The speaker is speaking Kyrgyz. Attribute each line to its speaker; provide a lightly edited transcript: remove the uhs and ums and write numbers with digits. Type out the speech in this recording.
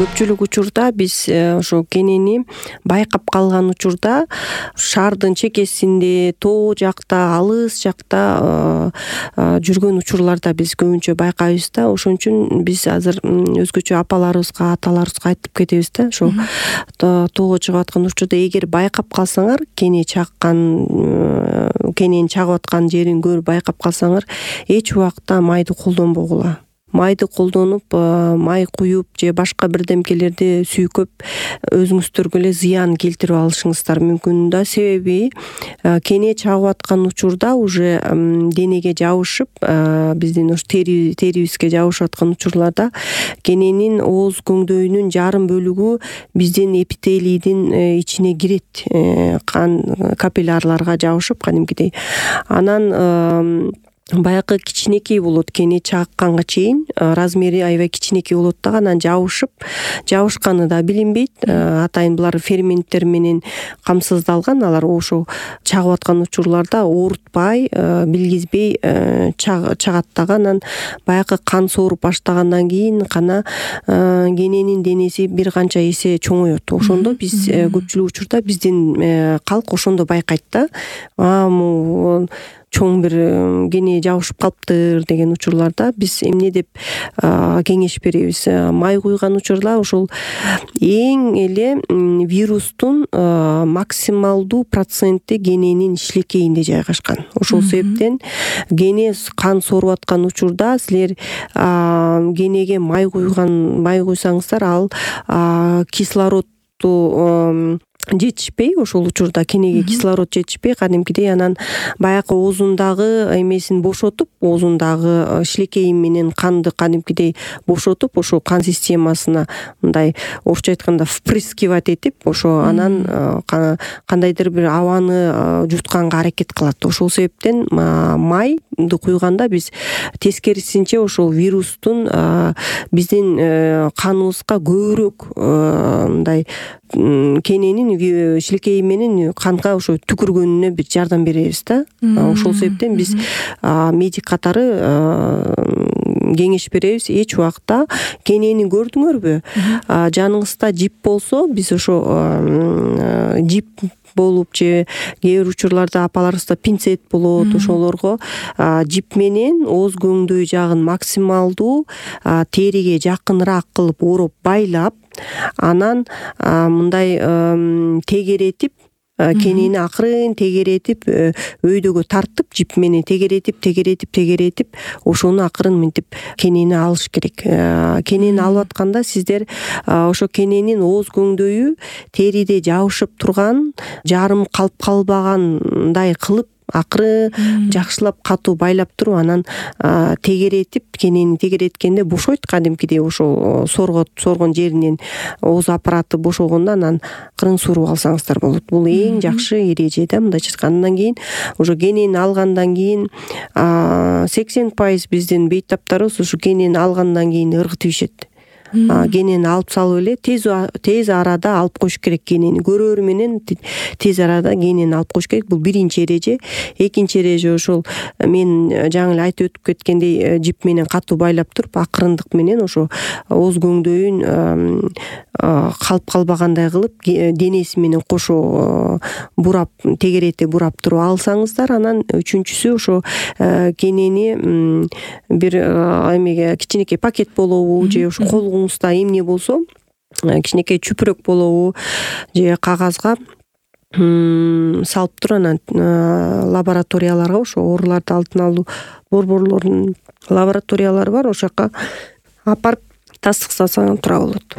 Speaker 1: Көпчүлүк учурда биз ошо кенени байкап калган учурда шаардын чекесинде, тоо жакта, алыс жакта жүргөн учурларда биз көбүнчө байкайбыз да. Ошон үчүн биз азыр өзгөчө апаларыбызга, аталарыбызга айтып кетебиз да. Ошо тоого чыгып аткан учурда эгер байкап калсаңар, кене кенени чагып аткан жерин көрүп байкап калсаңар, эч убакта майды колдонбогула. Майды колдонуп, май куюп же башка бирдемкелерди сүйкөп өзүңүздөргө эле зыян келтирип алышыңыздар мүмкүн да. Себеби кене чагып аткан учурда уже денеге жабышып, биздин ош терибизге жабышып аткан учурларда кененин ооз көңдөйүнүн жарым бөлүгү биздин эпителийдин ичине кирет, кан капиллярларга жабышып кадимкидей. Анан баягы кичинекей болот, кене чакканга чейин размери аябай кичинекей болот да, анан жабышканы да билинбейт. Атайын булар ферменттер менен камсыздалган, алар ошо чагып аткан учурларда оорутпай, билгизбей чагат дагы. Анан баягы кан сооруп баштагандан кийин гана кененин денеси бир канча эсе чоңоет. Ошондо биз көпчүлүк учурда биздин калк ошондо байкайт да. Чоң бир кене жабышып калыптыр деген учурларда биз эмне деп кеңеш беребиз. Май куйган учурда ошол эң эле вирустун максималдуу проценти кененин шилекейинде жайгашкан. Ошол себептен кене кан сооруп аткан учурда силер кенеге май куйсаңыздар, ал кислородду жетишпей, ошол учурда кенеге кислород жетишпей, кадимкидей анан баягы оозундагы эмесин бошотуп, оозундагы шилекейи менен канды кадимкидей бошотуп, ошо кан системасына мындай орусча айтканда впрыскивать этип, ошо анан кандайдыр бир абаны жутканга аракет кылат. Ошол себептен майды куйганда биз тескерисинче ошол вирустун биздин каныбызга көбүрөөк мындай кененин шилекейи менен канга ошо түкүргөнүнө бир жардам беребиз да. Ошол себептен биз медик катары кеңеш беребиз. Эч убакта кенени көрдүңөрбү, жаныңызда жип болсо, биз ошо жип болуп же кээ бир учурларда апаларыбызда пинцет болот, ошолорго жип менен ооз көңдөй жагын максималдуу териге жакыныраак кылып ороп байлап, анан мындай тегеретип, кенени акырын тегеретип, өйдөгө тартып, жип менен тегеретип, ошону акырын мынтип кенени алыш керек. Кенени алып атканда сиздер ошо кененин ооз көңдөйү териде жабышып турган, жарым калып калбагандай кылып акырын жакшылап катуу байлап туруп, анан тегеретип, кенени тегереткенде бошойт кадимкидей, ошо соргон жеринен ооз аппараты бошогондо анан акырын сууруп алсаңыздар болот. Бул эң жакшы эреже да, мындайча айтканда. Андан кийин уже кенени алгандан кийин 80% биздин бейтаптарыбыз ушу кенени алгандан кийин ыргытып ишет. Кенени алып салып эле тез арада алып коюш керек. Кенени көрөрү менен тез арада кенени алып коюш керек. Бул биринчи эреже. Экинчи эреже ошол мен жаңы эле айтып өтүп кеткендей, жип менен катуу байлап туруп, акырындык менен ошо ооз көңдөйүн калып калбагандай кылып, денеси менен кошо бурап, тегерете бурап туруп алсаңыздар. Анан үчүнчүсү ошо кенени бир эмеге кичинекей пакет болобу же ошо колуңузда эмне болсо, кичинекей чүпүрөк болобу же кагазга салып туруп, анан лабораторияларга, ошо ооруларды алдын алуу борборлорунун лабораториялары бар, ошол жака алып барып тастыктасаң тура болот.